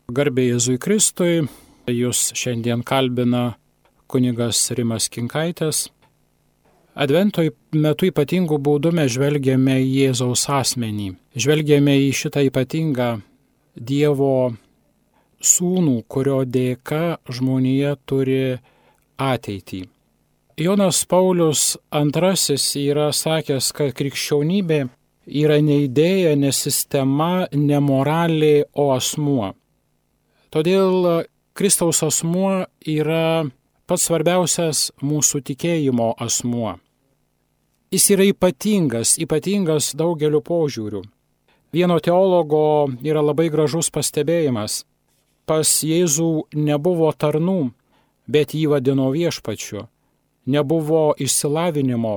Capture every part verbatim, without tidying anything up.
Garbė Jėzui Kristui, jūs šiandien kalbina kunigas Rimas Kinkaitis. Advento metu ypatingų būdų mes žvelgiame į Jėzaus asmenį, žvelgiame į šitą ypatingą Dievo sūnų, kurio dėka žmonija turi ateitį. Jonas Paulius antrasis yra sakęs, kad krikščionybė yra ne idėja, ne sistema, ne moralė, o asmuo. Todėl Kristaus asmuo yra pats svarbiausias mūsų tikėjimo asmuo. Jis yra ypatingas, ypatingas daugeliu požiūrių. Vieno teologo yra labai gražus pastebėjimas. Pas Jėzų nebuvo tarnų, bet jį vadino viešpačiu. Nebuvo išsilavinimo,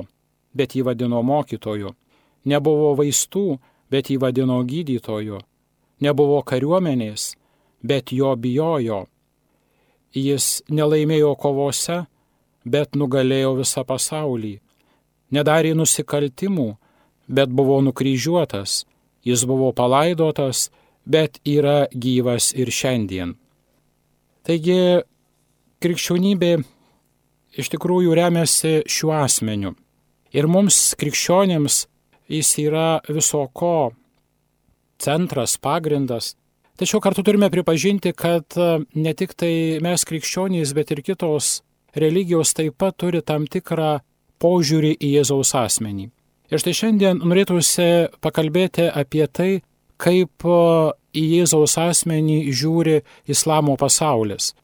bet jį vadino mokytoju. Nebuvo vaistų, bet jį vadino gydytoju. Nebuvo kariuomenės, bet jo bijojo. Jis nelaimėjo kovose, bet nugalėjo visą pasaulį. Nedarė nusikaltimų, bet buvo nukryžiuotas. Jis buvo palaidotas, bet yra gyvas ir šiandien. Taigi, krikščionybė iš tikrųjų remiasi šiuo asmeniu. Ir mums, krikščionėms, jis yra viso ko centras, pagrindas. Tačiau kartu turime pripažinti, kad ne tik tai mes krikščionys, bet ir kitos religijos taip pat turi tam tikrą požiūrį į Jėzaus asmenį. Ir štai šiandien norėtųsi pakalbėti apie tai, kaip į Jėzaus asmenį žiūri islamo pasaulis.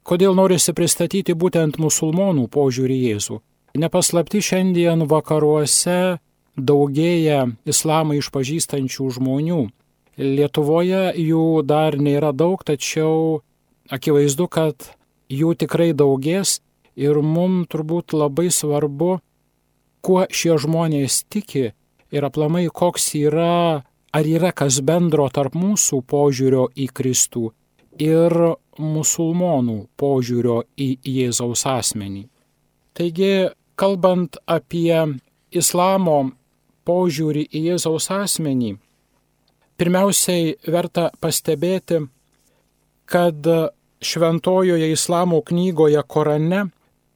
Kodėl norisi pristatyti būtent musulmonų požiūrį į Jėzų. Nepaslapti šiandien vakaruose daugėja islamą išpažįstančių žmonių. Lietuvoje jų dar nėra daug, tačiau akivaizdu, kad jų tikrai daugės ir mums turbūt labai svarbu, kuo šie žmonės tiki ir aplamai koks yra, ar yra kas bendro tarp mūsų požiūrio į Kristų ir musulmonų požiūrio į Jėzaus asmenį. Taigi, kalbant apie islamo požiūrį į Jėzaus asmenį, pirmiausiai verta pastebėti, kad šventojoje islamo knygoje Korane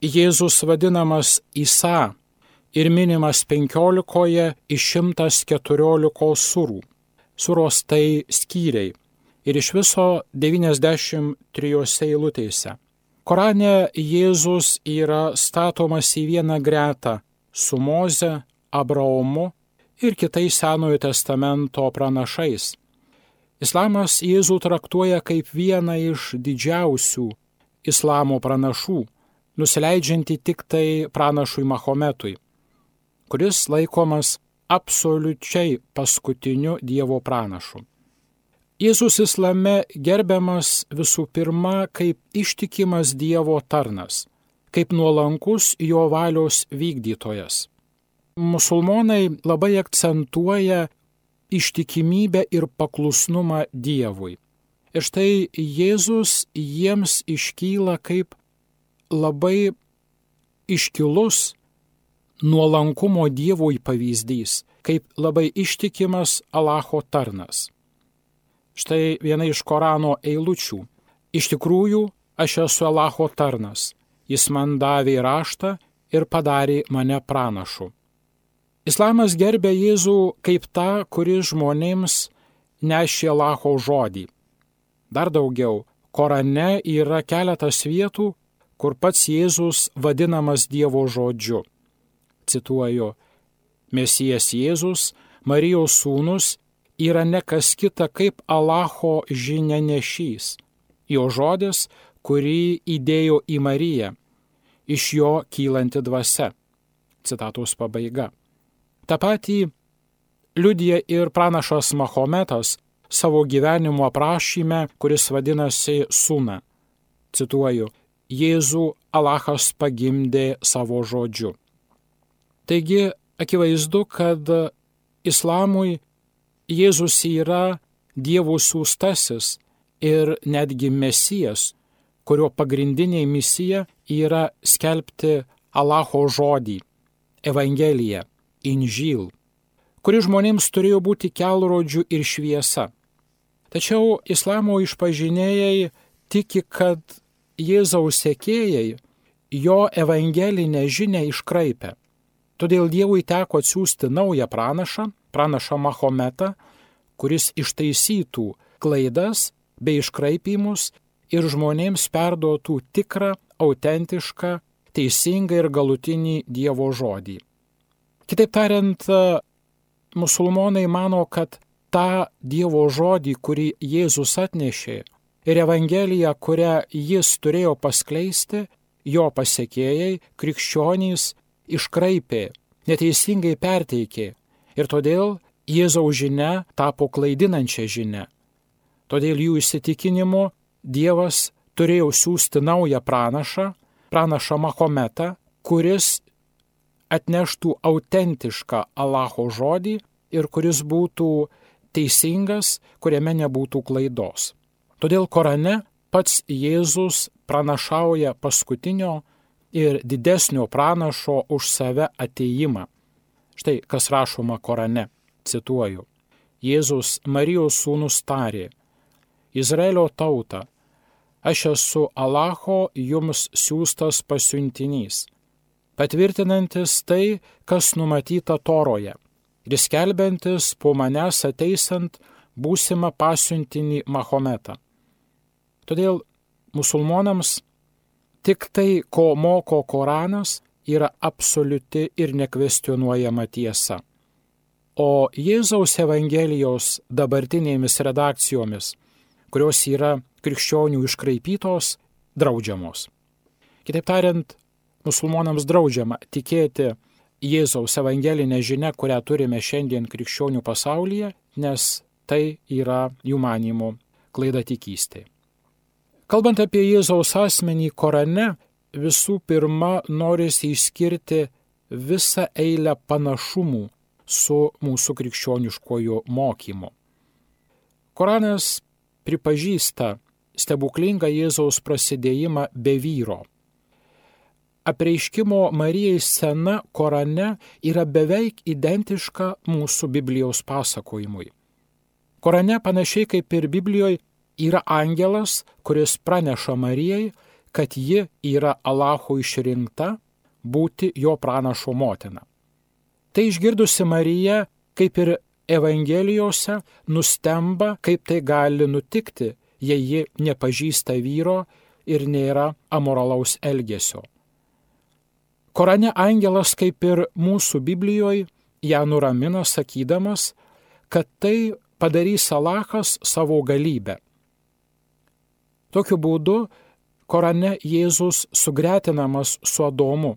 Jėzus vadinamas Isa ir minimas penkiolikoje iš šimtas keturiolikos surų. Suros tai skyriai ir iš viso devyniasdešimt trijose eilutėse. Korane Jėzus yra statomas į vieną gretą su Moze, Abraomu ir kitais Senojo testamento pranašais. Islamas Jėzų traktuoja kaip vieną iš didžiausių islamo pranašų, nusileidžiantį tik tai pranašui Mahometui, kuris laikomas absoliučiai paskutiniu Dievo pranašu. Jėzus islame gerbiamas visų pirma kaip ištikimas Dievo tarnas, kaip nuolankus jo valios vykdytojas. Musulmonai labai akcentuoja ištikimybę ir paklusnumą Dievui. Ir štai Jėzus jiems iškyla kaip labai iškilus nuolankumo Dievui pavyzdys, kaip labai ištikimas Alacho tarnas. Štai viena iš Korano eilučių. Iš tikrųjų, aš esu Alacho tarnas. Jis man davė raštą ir padarė mane pranašu. Islamas gerbia Jėzų kaip tą, kuris žmonėms nešė Alacho žodį. Dar daugiau, Korane yra keletas vietų, kur pats Jėzus vadinamas Dievo žodžiu. Cituoju, Mesijas Jėzus, Marijos sūnus, yra ne kas kita kaip Alacho žinianešys. Jo žodis, kurį įdėjo į Mariją, iš jo kylanti dvasia. Citatos pabaiga. Ta patį liudija ir pranašas Mahometas savo gyvenimo aprašyme, kuris vadinasi Suna. Cituoju, Jėzų Alachas pagimdė savo žodžiu. Taigi, akivaizdu, kad islamui Jėzus yra Dievo siųstasis ir netgi Mesijas, kurio pagrindinė misija yra skelbti Alacho žodį, Evangeliją, Inžil, kuri žmonėms turėjo būti kelrodžių ir šviesa. Tačiau islamo išpažinėjai tiki, kad Jėzaus sekėjai jo evangelinę žinią iškraipė. Todėl Dievui teko atsiųsti naują pranašą, pranašą Mahometą, kuris ištaisytų klaidas bei iškraipimus ir žmonėms perduotų tikrą, autentišką, teisingą ir galutinį Dievo žodį. Kitaip tariant, musulmonai mano, kad tą Dievo žodį, kurį Jėzus atnešė, ir Evangeliją, kurią jis turėjo paskleisti, jo pasekėjai, krikščionys, iškraipė, neteisingai perteikė ir todėl Jėzaus žinia tapo klaidinančia žinia. Todėl jų įsitikinimu Dievas turėjo siųsti naują pranašą, pranašą Mahometą, kuris atneštų autentišką Allaho žodį ir kuris būtų teisingas, kuriame nebūtų klaidos. Todėl Korane pats Jėzus pranašauja paskutinio ir didesnio pranašo už save atėjimą. Štai kas rašoma Korane, cituoju. Jėzus Marijos sūnus tarė: Izraelio tauta, aš esu Allaho jums siųstas pasiuntinys, patvirtinantis tai, kas numatyta Toroje, ir skelbiantis po manęs ateisant būsimą pasiuntinį Mahometą. Todėl musulmonams tik tai, ko moko Koranas, yra absoliuti ir nekvestionuojama tiesa. O Jėzaus Evangelijos dabartinėmis redakcijomis, kurios yra krikščionių iškraipytos, draudžiamos. Kitaip tariant, musulmonams draudžiama tikėti Jėzaus evangelinę žinią, kurią turime šiandien krikščionių pasaulyje, nes tai yra jų manymu klaidatikystė. Kalbant apie Jėzaus asmenį Korane, visų pirma norisi išskirti visą eilę panašumų su mūsų krikščioniškojo mokymu. Koranas pripažįsta stebuklingą Jėzaus prasidėjimą be vyro. Apreiškimo Marijai scena Korane yra beveik identiška mūsų Biblijos pasakojimui. Korane panašiai kaip ir Biblijoje yra angelas, kuris praneša Marijai, kad ji yra Allaho išrinkta būti jo pranašo motina. Tai išgirdusi Marija, kaip ir Evangelijose, nustemba, kaip tai gali nutikti, jei ji nepažįsta vyro ir nėra amoralaus elgesio. Korane angelas, kaip ir mūsų Biblijoje, ją nuramina sakydamas, kad tai padarys Allahas savo galybę. Tokiu būdu Korane Jėzus sugretinamas su Adomu.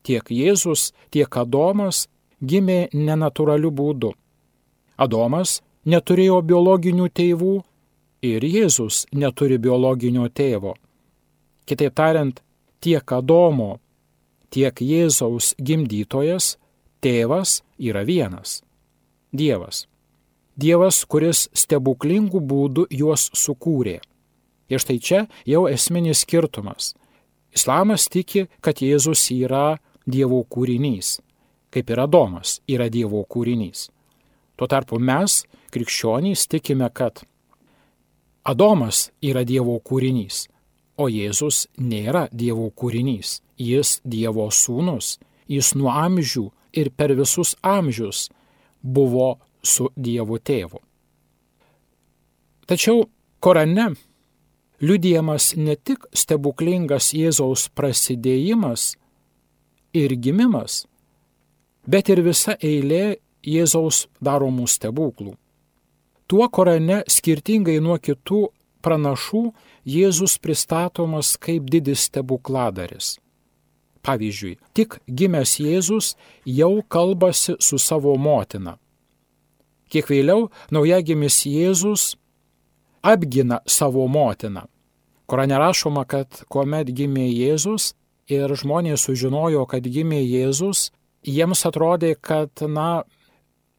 Tiek Jėzus, tiek Adomas gimė nenatūraliu būdu. Adomas neturėjo biologinių tėvų ir Jėzus neturi biologinio tėvo. Kitaip tariant, tiek Adomo, tiek Jėzaus gimdytojas, tėvas yra vienas – Dievas. Dievas, kuris stebuklingų būdų juos sukūrė. Ir štai čia jau esminis skirtumas. Islamas tiki, kad Jėzus yra Dievo kūrinys, kaip ir Adomas yra Dievo kūrinys. Tuo tarpu mes, krikščionys, tikime, kad Adomas yra Dievo kūrinys, o Jėzus nėra Dievo kūrinys. Jis Dievo sūnus, jis nuo amžių ir per visus amžius buvo su Dievo tėvu. Tačiau Korane liudijamas ne tik stebuklingas Jėzaus prasidėjimas ir gimimas, bet ir visa eilė Jėzaus daromų stebuklų. Tuo Korane, skirtingai nuo kitų pranašų, Jėzus pristatomas kaip didis stebukladaris. Pavyzdžiui, tik gimęs Jėzus jau kalbasi su savo motina. Kiek vėliau naujagimis Jėzus apgina savo motiną. Korane rašoma, kad kuomet gimė Jėzus ir žmonės sužinojo, kad gimė Jėzus, jiems atrodė, kad, na,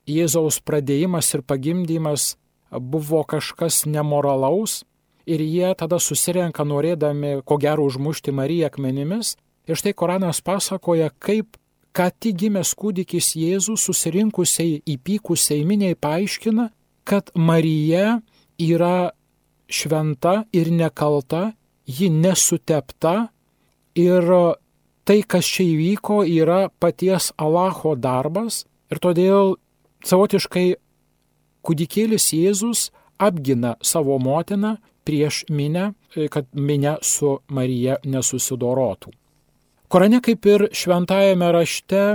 Jėzaus pradėjimas ir pagimdymas buvo kažkas nemoralaus ir jie tada susirenka norėdami, ko gero, užmušti Mariją akmenimis. Ir štai Koranas pasakoja, kaip ką tik gimęs kūdikis Jėzus susirinkusiai įpykusiai miniai paaiškina, kad Marija yra šventa ir nekalta, ji nesutepta ir tai, kas čia įvyko, yra paties Alacho darbas ir todėl savotiškai kūdikėlis Jėzus apgina savo motiną prieš minę, kad minė su Marija nesusidorotų. Korane, kaip ir šventajame rašte,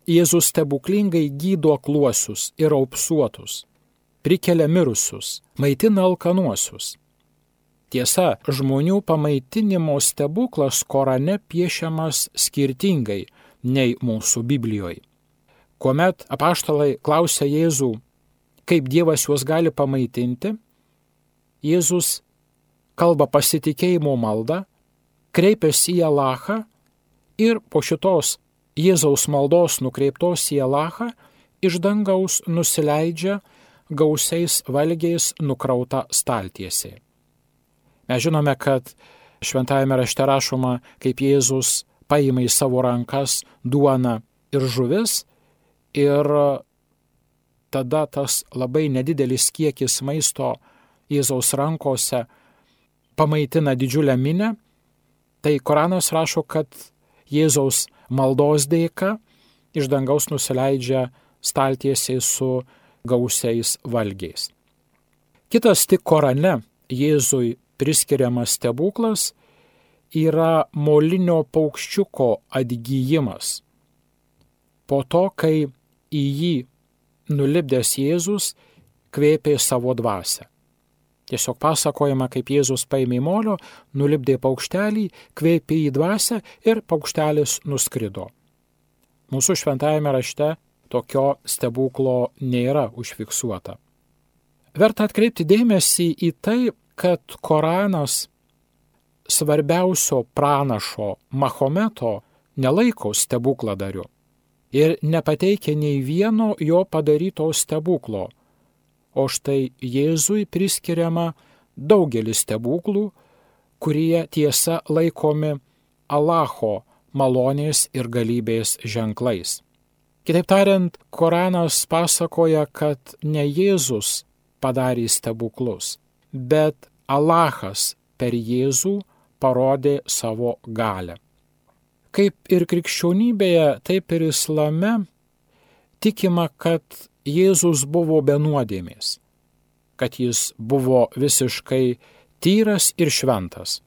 Jėzus stebuklingai gydo akluosius ir raupsuotus, prikelia mirusius, maitina alkanuosius. Tiesa, žmonių pamaitinimo stebuklas Korane piešiamas skirtingai nei mūsų Biblijoje. Kuomet apaštalai klausia Jėzų, kaip Dievas juos gali pamaitinti, Jėzus kalba pasitikėjimo maldą, kreipiasi į Alachą ir po šitos Jėzaus maldos nukreiptos į Alachą iš dangaus nusileidžia gausiais valgiais nukrauta staltiesė. Mes žinome, kad šventajame rašte rašoma, kaip Jėzus paima į savo rankas duoną ir žuvis ir tada tas labai nedidelis kiekis maisto Jėzaus rankose pamaitina didžiulę minę. Tai Koranas rašo, kad Jėzaus maldos dėka iš dangaus nusileidžia staltiesiai su gausiais valgiais. Kitas tik Korane Jėzui priskiriamas stebuklas yra molinio paukščiuko atgijimas. Po to, kai į jį nulipdęs Jėzus kvėpė savo dvasią. Tiesiog pasakojama, kaip Jėzus paėmė molio, nulipdė paukštelį, kvėpė į dvasią ir paukštelis nuskrido. Mūsų šventajame rašte tokio stebuklo nėra užfiksuota. Verta atkreipti dėmesį į tai, kad Koranas svarbiausio pranašo Mahometo nelaiko stebukladariu ir nepateikia nei vieno jo padaryto stebuklo. O štai Jėzui priskiriama daugelis stebuklų, kurie tiesa laikomi Alacho malonės ir galybės ženklais. Kitaip tariant, Koranas pasakoja, kad ne Jėzus padarė stebuklus, bet Alachas per Jėzų parodė savo galią. Kaip ir krikščionybėje, taip ir islame tikima, kad Jėzus buvo be nuodėmės, kad jis buvo visiškai tyras ir šventas.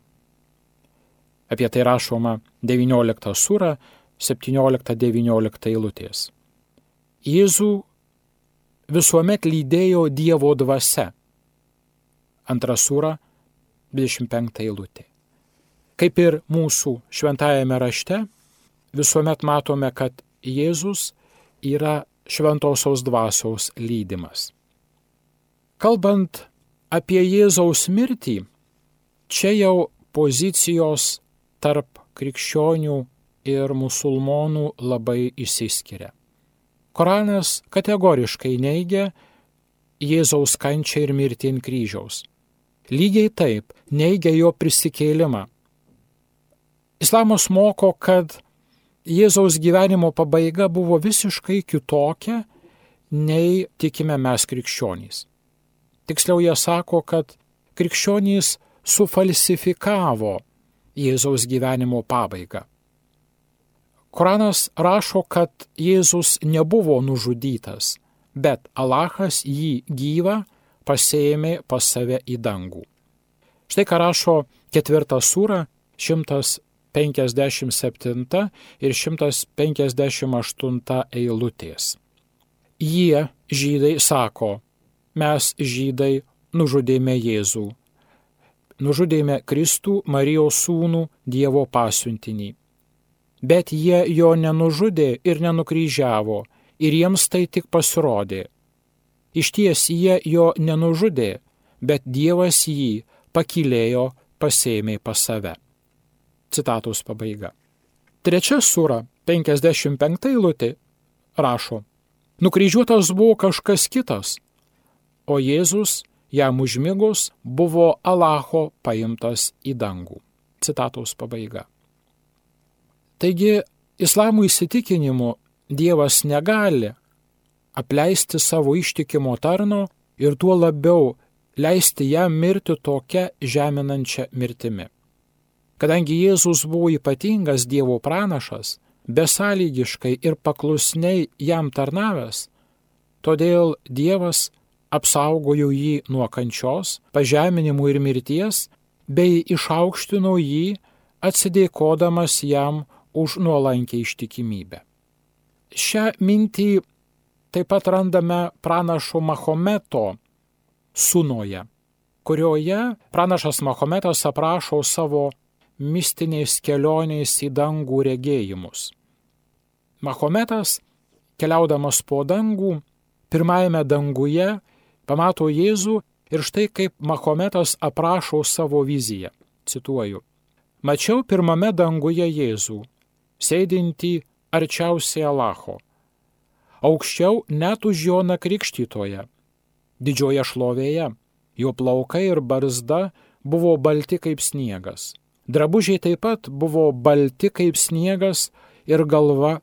Apie tai rašoma devyniolikta sūra, septyniolikta devyniolika eilutės. Jėzų visuomet lydėjo Dievo dvasia. Antra sūra, dvidešimt penkta eilutė. Kaip ir mūsų šventajame rašte, visuomet matome, kad Jėzus yra šventosios dvasios lydimas. Kalbant apie Jėzaus mirtį, čia jau pozicijos tarp krikščionių ir musulmonų labai išsiskiria. Koranas kategoriškai neigia Jėzaus kančią ir mirtį ant kryžiaus. Lygiai taip neigia jo prisikėlimą. Islamas moko, kad Jėzaus gyvenimo pabaiga buvo visiškai kitokia, nei tikime mes krikščionys. Tiksliau jie sako, kad krikščionys sufalsifikavo Jėzaus gyvenimo pabaigą. Koranas rašo, kad Jėzus nebuvo nužudytas, bet Alachas jį gyvą pasiėmė pas save į dangų. Štai ką rašo ketvirta sūra, šimtas penkiasdešimt septinta ir šimtas penkiasdešimt aštunta eilutės. Jie, žydai, sako, mes, žydai, nužudėme Jėzų. Nužudėme Kristų, Marijos sūnų, Dievo pasiuntinį. Bet jie jo nenužudė ir nenukryžiavo, ir jiems tai tik pasirodė. Išties jie jo nenužudė, bet Dievas jį pakylėjo, pasėmė pas save. Citatos pabaiga. Trečia sūra, penkiasdešimt penkta eilutė, rašo, nukryžiuotas buvo kažkas kitas, o Jėzus, jam užmigus, buvo Alacho paimtas į dangų. Citatos pabaiga. Taigi, islamo įsitikinimu Dievas negali apleisti savo ištikimo tarno ir tuo labiau leisti jam mirti tokia žeminančia mirtimi. Kadangi Jėzus buvo ypatingas Dievo pranašas, besąlygiškai ir paklusniai jam tarnavęs, todėl Dievas apsaugojo jį nuo kančios, pažeminimų ir mirties, bei išaukštino jį, atsidėkodamas jam už nuolankę ištikimybę. Šią mintį taip pat randame pranašo Mahometo Sunoje, kurioje pranašas Mahometas aprašo savo mistinės kelionės į dangų regėjimus. Mahometas, keliaudamas po dangų, pirmajame danguje pamato Jėzų ir štai kaip Mahometas aprašo savo viziją. Cituoju. Mačiau pirmame danguje Jėzų, sėdintį arčiausiai Alacho, aukščiau net už Joną Krikštytoją, didžioje šlovėje, jo plaukai ir barzda buvo balti kaip sniegas. Drabužiai taip pat buvo balti kaip sniegas ir galva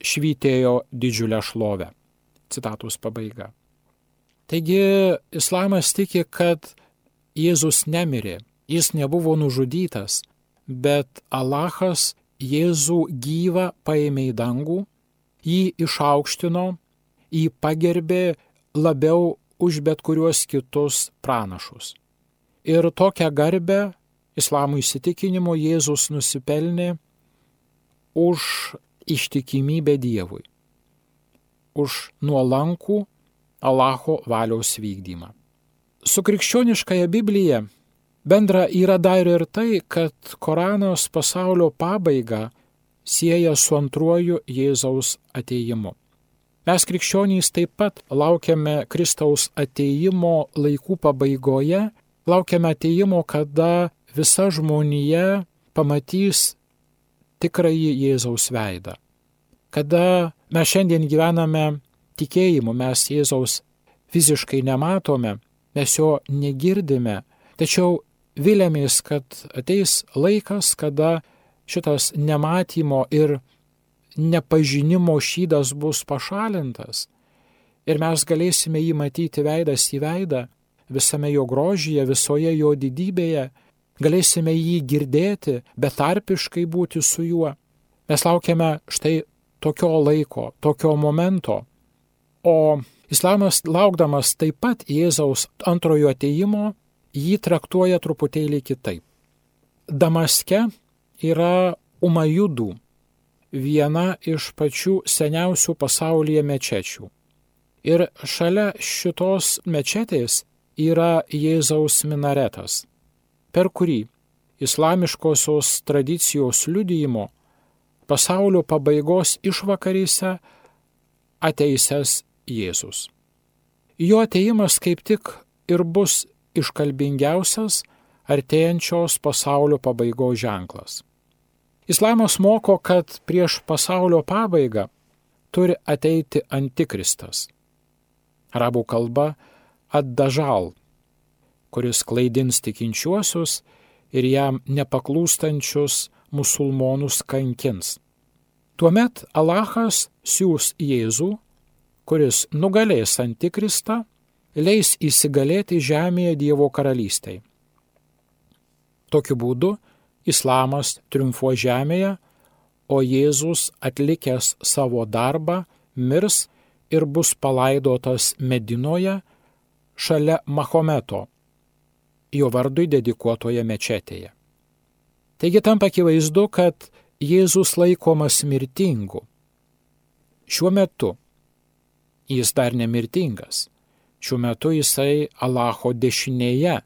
švytėjo didžiulę šlovę. Citatos pabaiga. Taigi islamas tiki, kad Jėzus nemirė, jis nebuvo nužudytas, bet Alachas Jėzų gyvą paėmė į dangų, jį išaukštino, jį pagerbė labiau už bet kuriuos kitus pranašus. Ir tokią garbę islamo įsitikinimu Jėzus nusipelnė už ištikimybę Dievui, už nuolankų Alacho valios vykdymą. Su krikščioniškąja Biblija bendra yra dar ir tai, kad Koranas pasaulio pabaigą sieja su antruoju Jėzaus atėjimu. Mes krikščionys taip pat laukiame Kristaus atėjimo laikų pabaigoje, laukiame atėjimo, kada visa žmonija pamatys tikrąjį Jėzaus veidą. Kada mes šiandien gyvename tikėjimu, mes Jėzaus fiziškai nematome, mes jo negirdime, tačiau viliamės, kad ateis laikas, kada šitas nematymo ir nepažinimo šydas bus pašalintas ir mes galėsime jį matyti veidas į veidą, visame jo grožyje, visoje jo didybėje, galėsime jį girdėti, betarpiškai būti su juo. Mes laukiame štai tokio laiko, tokio momento. O islamas, laukdamas taip pat Jėzaus antrojo atėjimo, jį traktuoja truputėlį kitaip. Damaske yra Umajudų, viena iš pačių seniausių pasaulyje mečečių. Ir šalia šitos mečetės yra Jėzaus minaretas, per kurį islamiškosios tradicijos liudijimo pasaulio pabaigos išvakarėse ateisęs Jėzus. Jo atėjimas kaip tik ir bus iškalbingiausias artėjančios pasaulio pabaigos ženklas. Islamas moko, kad prieš pasaulio pabaigą turi ateiti antikristas. Arabų kalba ad-dažal, kuris klaidins tikinčiuosius ir jam nepaklūstančius musulmonus kankins. Tuomet Alachas siūs Jėzų, kuris nugalės antikristą, leis įsigalėti žemėje Dievo karalystei. Tokiu būdu Islamas triumfuos žemėje, o Jėzus atlikęs savo darbą mirs ir bus palaidotas Medinoje šalia Mahometo, jo vardui dedikuotoje mečetėje. Taigi tampa akivaizdu, kad Jėzus laikomas mirtingu. Šiuo metu jis dar nemirtingas. Šiuo metu jisai Alacho dešinėje.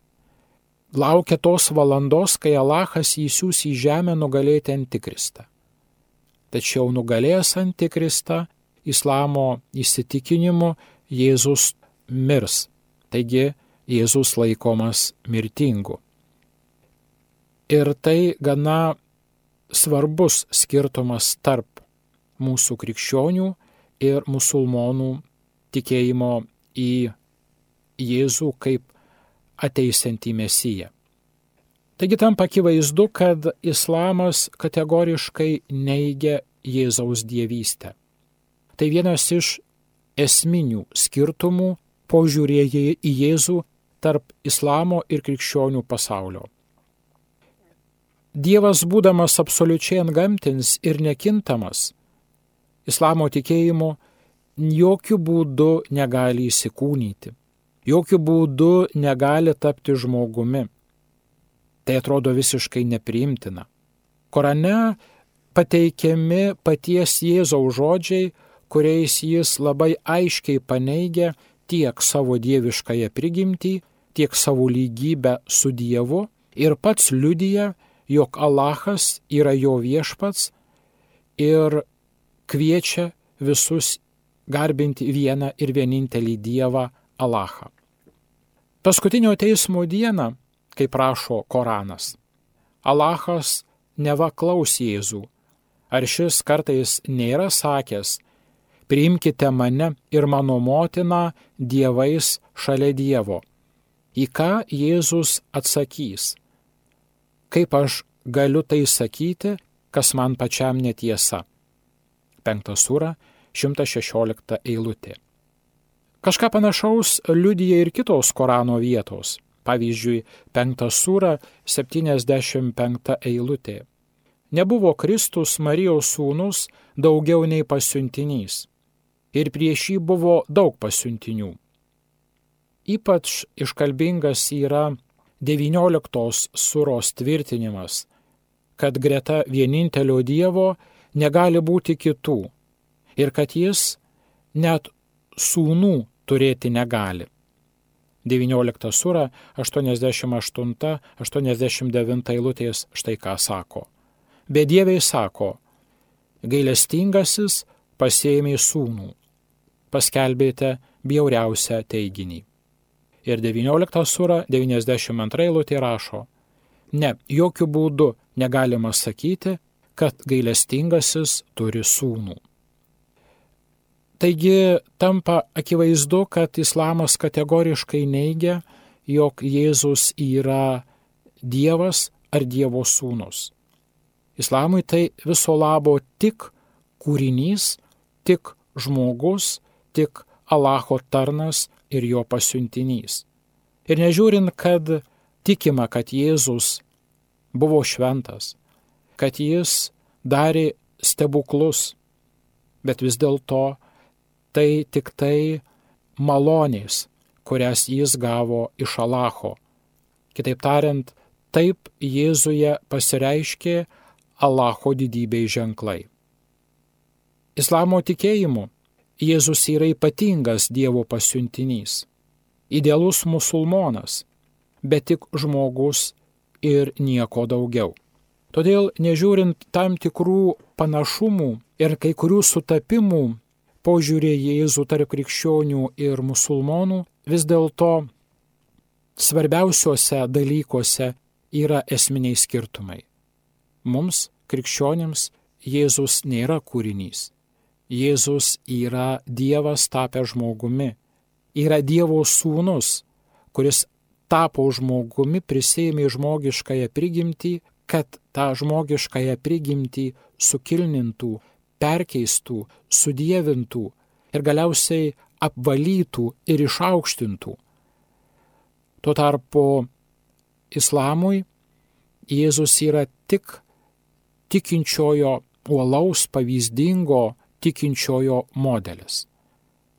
Laukia tos valandos, kai Alachas jį siūs į žemę nugalėti antikristą. Tačiau nugalėjęs antikristą, islamo įsitikinimu, Jėzus mirs. Taigi Jėzus laikomas mirtingu. Ir tai gana svarbus skirtumas tarp mūsų krikščionių ir musulmonų tikėjimo į Jėzų kaip ateisiantį Mesiją. Taigi tampa akivaizdu, kad islamas kategoriškai neigia Jėzaus dievystę. Tai vienas iš esminių skirtumų požiūrėje į Jėzų tarp islamo ir krikščionių pasaulio. Dievas, būdamas absoliučiai antgamtinis ir nekintamas, islamo tikėjimu jokių būdų negali įsikūnyti, jokių būdų negali tapti žmogumi. Tai atrodo visiškai nepriimtina. Korane pateikiami paties Jėzaus žodžiai, kuriais jis labai aiškiai paneigia tiek savo dieviškąją prigimtį, tiek savo lygybę su Dievu ir pats liudija, jog Alachas yra jo viešpats ir kviečia visus garbinti vieną ir vienintelį Dievą Alachą. Paskutinio teismo dieną, kaip rašo Koranas, Alachas neva klaus Jėzų, ar šis kartais nėra sakęs: priimkite mane ir mano motiną dievais šalia Dievo. Į ką Jėzus atsakys: kaip aš galiu tai sakyti, kas man pačiam netiesa. Penkta sūra, šimtas šešiolikta eilutė. Kažką panašaus liudija ir kitos Korano vietos. Pavyzdžiui, penkta sūra, septyniasdešimt penkta eilutė. Nebuvo Kristus Marijos sūnus daugiau nei pasiuntinys, ir prieš jį buvo daug pasiuntinių. Ypač iškalbingas yra devynioliktos sūros tvirtinimas, kad greta vienintelio Dievo negali būti kitų ir kad jis net sūnų turėti negali. devyniolikta sūra, aštuoniasdešimt aštunta aštuoniasdešimt devinta eilutės štai ką sako. Bedieviai sako: gailestingasis pasiėmė sūnų, paskelbėte bjauriausią teiginį. Ir devyniolikta sūra, devyniasdešimt antra eilutė rašo: ne, jokių būdų negalima sakyti, kad gailestingasis turi sūnų. Taigi tampa akivaizdu, kad islamas kategoriškai neigia, jog Jėzus yra Dievas ar Dievo sūnus. Islamui tai viso labo tik kūrinys, tik žmogus, tik Alacho tarnas ir jo pasiuntinys. Ir nežiūrint, kad tikima, kad Jėzus buvo šventas, kad jis darė stebuklus, bet vis dėlto tai tik tai malonės, kurias jis gavo iš Alacho. Kitaip tariant, taip Jėzuje pasireiškė Alacho didybei ženklai. Islamo tikėjimu Jėzus yra ypatingas Dievo pasiuntinys, idealus musulmonas, bet tik žmogus ir nieko daugiau. Todėl, nežiūrint tam tikrų panašumų ir kai kurių sutapimų požiūrė Jėzų tarp krikščionių ir musulmonų, vis dėlto svarbiausiuose dalykuose yra esminiai skirtumai. Mums, krikščionims, Jėzus nėra kūrinys. Jėzus yra Dievas tapęs žmogumi. Yra Dievo sūnus, kuris tapo žmogumi, prisėmė žmogiškąją prigimtį, kad tą žmogiškąją prigimtį sukilnintų, perkeistų, sudievintų ir galiausiai apvalytų ir išaukštintų. Tuo tarpu islamui Jėzus yra tik tikinčiojo uolaus, pavyzdingo tikinčiojo modelis.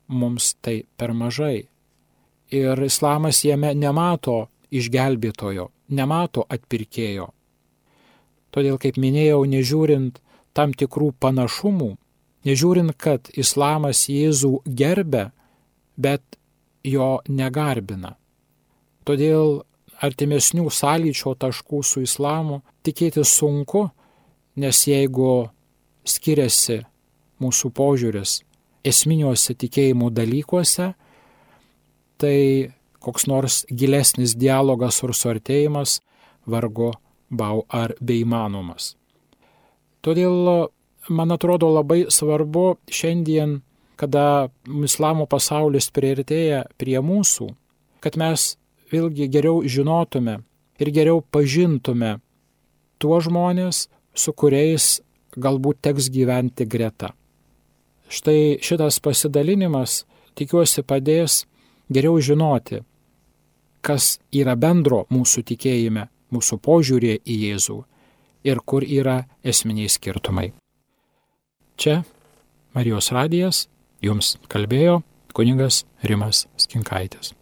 Mums tai per mažai. Ir islamas jame nemato išgelbėtojo, nemato atpirkėjo. Todėl, kaip minėjau, nežiūrint tam tikrų panašumų, nežiūrint, kad islamas Jėzų gerbia, bet jo negarbina. Todėl artimesnių sąlyčio taškų su islamu tikėti sunku, nes jeigu skiriasi mūsų požiūris esminiuose tikėjimų dalykuose, tai koks nors gilesnis dialogas ir suartėjimas vargu bau ar beįmanomas. Todėl, man atrodo, labai svarbu šiandien, kada islamo pasaulis priartėja prie mūsų, kad mes vėlgi geriau žinotume ir geriau pažintume tuos žmonės, su kuriais galbūt teks gyventi greta. Štai šitas pasidalinimas, tikiuosi, padės geriau žinoti, kas yra bendro mūsų tikėjime, mūsų požiūrė į Jėzų ir kur yra esminiai skirtumai. Čia Marijos radijas jums kalbėjo kunigas Rimas Skinkaitis.